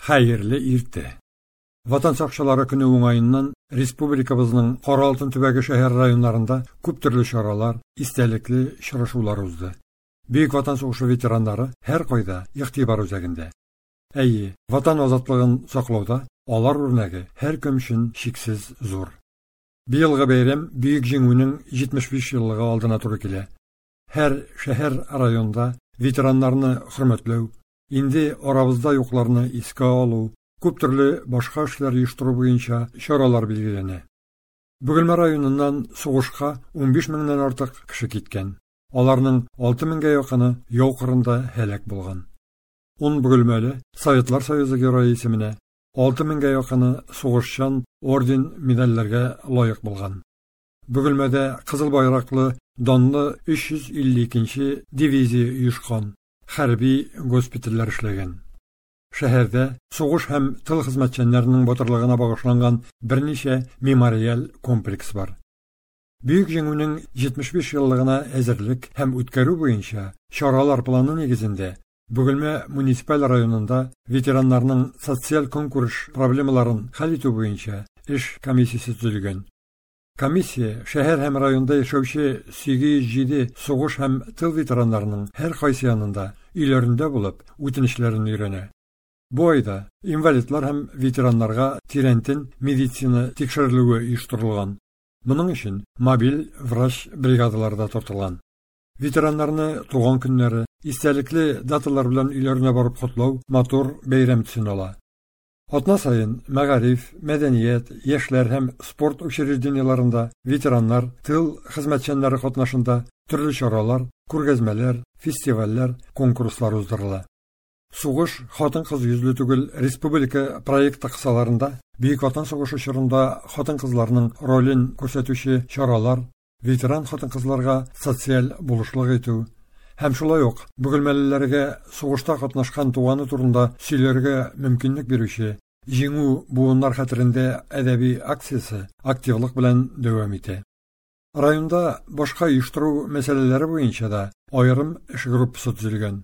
Хәерле иртә! Ватан сакчылары көне уңаеннан республикабызның Кара алтын төбәге шәһәр районнарында күп төрле чаралар, истәлекле очрашулар узды. Бөек Ватан сугышы ветераннары һәркайда игътибар үзәгендә. Әйе, Ватан азатлыгын саклауда алар үрнәге һәркем өчен чиксез зур. Быелгы бәйрәм Бөек Җиңүнең 75 еллыгы алдына туры килә. Һәр шәһәр, районда ветераннарны хөрмәтләү, инде арабызда юкларны искә алу, күп төрле башка эшләр оештыру буенча чаралар билгеләнә. Бөгелмә районыннан сугышка 15 меңнән артык кеше киткән. Аларның 6 меңгә якыны яу кырында һәлак булган. 10 бөгелмәле Советлар Союзы Герое исеменә, 6 меңгә якыны сугышчан орден-медальләргә лаек булган. Бөгелмәдә Кызыл байраклы данлы 352 нче дивизия оешкан. Хәрби госпитальләр эшләгән. Шәһәрдә сугыш һәм тыл хезмәтчәннәренең батырлыгына багышланган берничә мемориаль комплекс бар. Бөек Җиңүнең 75 еллыгына әзерлек һәм үткәрү буенча чаралар планы нигезендә Бөгелмә муниципаль районында ветераннарның социаль-көнкүреш проблемаларын хәл итү буенча эш комиссиясе төзелгән. Комиссия шәһәр һәм районда яшәүче 807 сугыш һәм тыл ветераннарының һәркайсы янында, өйләрендә булып, үтенечләрен өйрәнә. Бу айда инвалидлар һәм ветераннарга тирәнтен медицина тикшерелүе оештырылган. Моның өчен мобиль врач бригадалары да тартылган. Ветераннарны туган көннәре, истәлекле даталар белән өйләренә барып котлау матур бәйрәм төсен ала. Атна саен мәгариф, мәдәният, яшьләр һәм спорт учреждениеләрендә ветераннар, тыл хезмәтчәннәре катнашында төрле чаралар, күргәзмәләр, фестивальләр, конкурслар уздырыла. Сугыш хатын-кыз йөзле түгел республика проекты кысаларында Бөек Ватан сугышы чорында хатын-кызларның ролен күрсәтүче чаралар, ветеран хатын-кызларга социаль булышлык итү һәм шулай ук бөгелмәлеләргә сугышта катнашкан туганы турында сөйләргә мөмкинлек бирүче Җиңү буыннар хәтерендә әдәби акциясе активлык белән дәвам итә. Районда башка оештыру мәсьәләләре буенча да аерым эш группасы төзелгән.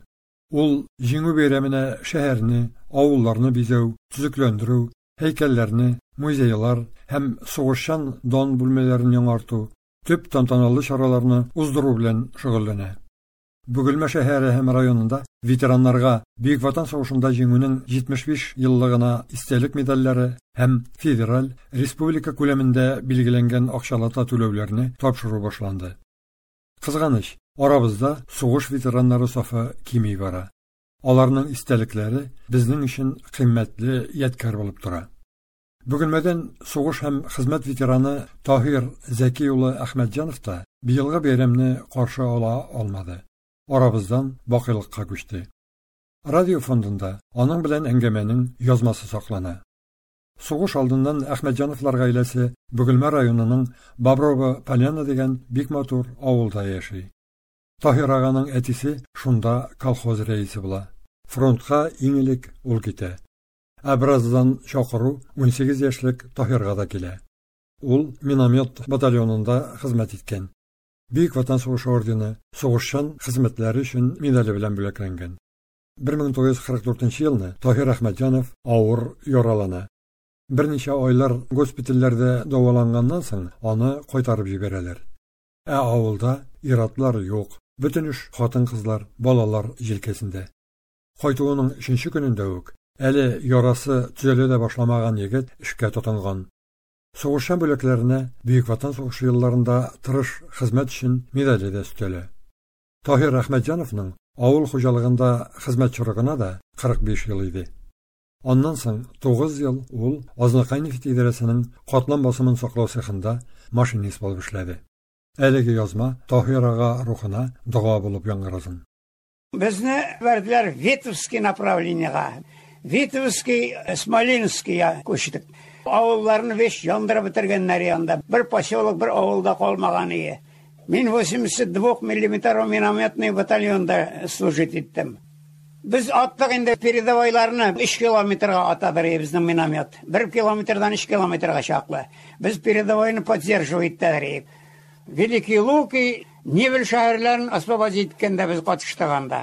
Ул Җиңү бәйрәменә шәһәрне, авылларны бизәү, төзекләндерү, һәйкәлләрне, музейлар һәм сугышчан дан бүлмәләрен яңарту, төп тантаналы чараларны уздыру белән шөгыльләнә. Бөгелмә шәһәре һәм районында ветераннарга Бөек Ватан сугышында җиңүнең 75 еллыгына истәлек медальләре һәм федераль, республика күләмендә билгеләнгән акчалата түләүләрне тапшыру башланды. Кызганыч, арабызда сугыш ветераннары сафы кими бара. Аларның истәлекләре безнең өчен кыйммәтле ядкәр булып тора. Бөгелмәдән сугыш һәм хезмәт ветераны Таһир Зәки улы Әхмәтҗанов та быелгы бәйрәмне каршы ала алмады. Арабыздан бакыйлыкка күчте. Радио фондында аның белән әңгәмәнең язмасы саклана. Сугыш алдыннан Әхмәтҗановлар гаиләсе Бөгелмә районының Боброво Поляна дигән бик матур авылда яши. Таһир аганың әтисе шунда колхоз рәисе була. Фронтка иң элек ул китә. Ә бераздан чакыру 18 яшьлек Таһирга да килә. Ул миномет батальонында хезмәт иткән. Бөек Ватан сугышы ордены, сугышчан хезмәтләре өчен медале белән бүләкләнгән. 1944 елны Таһир Әхмәтҗанов авыр яралана. Берничә айлар госпитальләрдә дәваланганнан соң аны кайтарып җибәрәләр. Ә авылда ир-атлар юк, бөтен эш хатын-кызлар, балалар җилкәсендә. Кайтуының өченче көнендә үк, әле ярасы төзәлә дә башламаган егет эшкә тотынган. Сугышчан бүләкләренә Бөек Ватан сугышы елларында тырыш хезмәт өчен медале дә өстәлә. Таһир Әхмәтҗановның авыл хуҗалыгында хезмәт чоры гына да 45 ел иде. Аннан соң 9 ел ул Азнакай нефть идарәсенең катлам басымын саклау цехында машинист булып эшләде. Әлеге язма Таһир ага рухына дога булып яңгырасын. Безне бәрделәр Витебский направлениега. Витебский, Смоленскийга күчтек. Авылларны весь яндырып бетергәннәр янда. Бер поселок, бер авылда калмаган ие. Мин 82 миллиметр минометный батальонда служить иттем. Без аттык инде передовойларны 3 километрга атадыр безнең миномет. 1 километрдан 3 километрга чаклы. Без передовойны поддерживать иттеләр. Великие Луки, Невель шәһәрләрен освободить иткәндә без катыштык анда.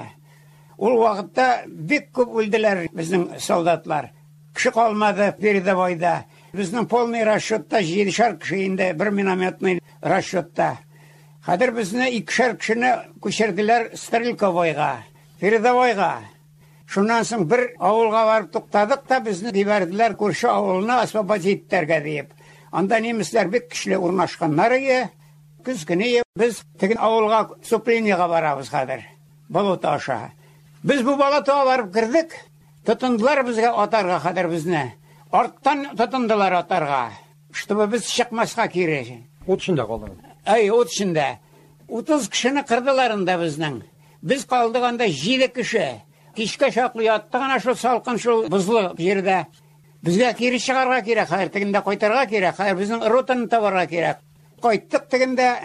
Ул вакытта бик күп үлделәр безнең солдатлар. Кеше калмады передовойда. Безнең полный расчетта җидешәр кеше инде, бер минометный расчетта. Хәзер безне икешәр кешене күчерделәр Стрелковойга, передовойга. Шуннан соң бер авылга барып туктадык та, безне җибәрделәр күрше авылны освободить итәргә диеп. Анда немецлар бик көчле урнашканнар иде. Көз көне без теге авылга вступлениега барабыз хәзер. Болото аша. Без бу болотога барып кердек. Тотындылар безгә атарга хәзер безне. Арттан тотындылар атарга. Чтобы без чыкмаска кире. Ут эчендә калдыгыз. Әй, ут эчендә. 30 кешене кырдылар анда безнең. Без калдык анда 7 кеше. Кичкә чаклы яттык ана шул салкын шул бозлы җирдә. Безгә кире чыгарга кирәк, хәзер тегендә кайтарга кирәк, хәзер безнең ротаны табарга кирәк. Кайттык тегендә,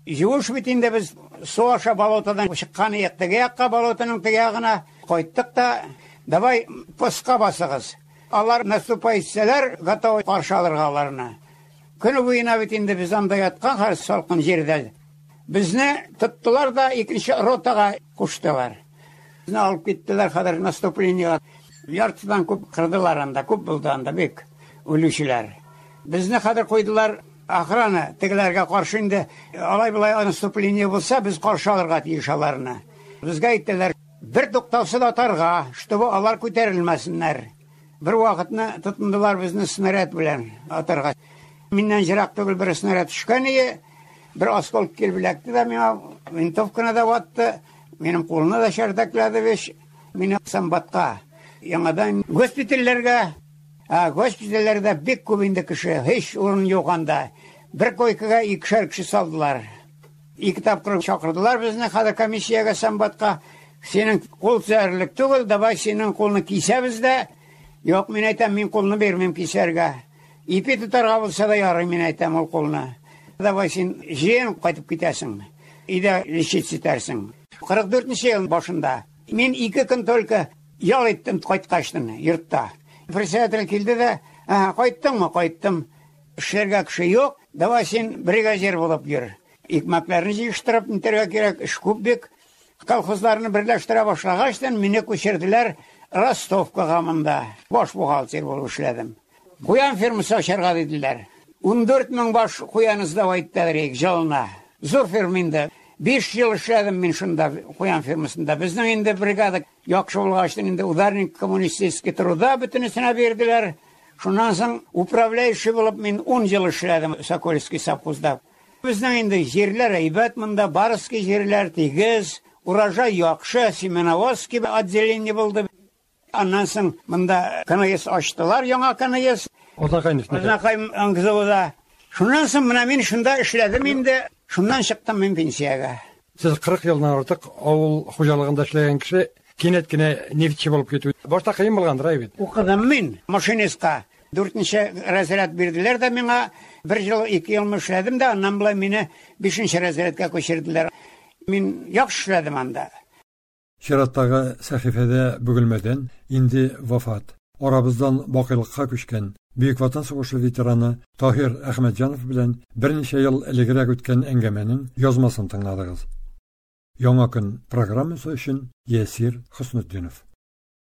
юеш бит инде без су аша болотодан чыккан идек, теге якка болотоның теге ягына кайттык та, давай постка басыгыз. Алар наступать итсәләр, готовы каршы алырга аларны. Көне буена бит инде без анда яткан хәзер салкын җирдә. Безне тоттылар да икенче ротага куштылар. Безне алып киттеләр хәзер наступлениега. Яртыдан күп кырдылар анда, күп булды анда бик үлүчеләр. Безне хәзер куйдылар охрана тегеләргә каршы инде алай-болай наступление булса, без каршы алырга тиеш аларны. Безгә әйттеләр, бер туктаусыз атарга, чтобы алар күтәрелмәсеннәр. Бер вакытны тотындылар безне снаряд белән атарга. Миннән ерак түгел бер снаряд төшкән иде. Бер осколок килеп эләкте дә миңа винтовканы да ватты, минем кулны да чәрдәкләде беш. Мине санбатка, яңадан госпитальләргә. Ә госпитальләрдә бик күп инде кеше, һич урын юк анда. Бер койкага икешәр кеше салдылар. Ике тапкыр чакырдылар безне хәзер комиссиягә санбатка. Синең кул төзәрлек түгел, давай синең кулны кисәбез дә. Юк, мин әйтәм, мин кулны бирмим кисәргә. Ипи тотарга булса да ярый, мин әйтәм ул кулны. Давай син җыен кайтып китәсең. Өйдә лечить итәрсең. 44 ел башында мин 2 көн только ял иттем кайткачтын йортта. Председатель килде дә, кайттыңмы? Кайттым. Эшләргә кеше юк, давай син бригадир булып йөр. Икмәкләрне җыештырып нитәргә кирәк, эш күп бик. Колхозларны берләштерә башлагачтан мине күчерделәр Ростовкага монда. Баш бухгалтер булып эшләдем. Куян фермасы ачарга диделәр. 14 мең баш куян сдавать иттеләр җылына. Зур ферма инде. 5 ел эшләдем мин шунда куян фермасында. Безнең инде бригада яхшы булгач инде ударник коммунистический труда бөтенесенә бирделәр. Шуннан соң управляющий булып мин 10 ел эшләдем Сокольский совхозда. Безнең инде җирләр әйбәт монда, барский җирләр тигез, урожай яхшы, семеноводский отделение булды. Аннан соң монда КНС ачтылар, яңа КНС. Азнакай. Азнакай НГЗУда. Шуннан соң менә мин шунда эшләдем инде. Шуннан чыктым мин пенсиягә. Сез 40 елдан артык авыл хуҗалыгында эшләгән кеше, кинәт кенә нефтьче булып китү. Башта кыен булгандыр, әй бит. Укыдым мин машинистка. 4-нче разряд бирделәр дә миңа. 1 ел, 2 ел эшләдем дә, аннан болай мине 5-нче разрядка күчерделәр. Мин яхшы эшләдем анда. Чираттагы сәхифәдә Бөгелмәдән инде вафат, арабыздан бакыйлыкка күчкән Бөек Ватан сугышы ветераны Таһир Әхмәтҗанов белән берничә ел элегрәк үткән әңгәмәнең язмасын тыңладыгыз. Яңа көн программасы өчен Ясир Хөснетдинов.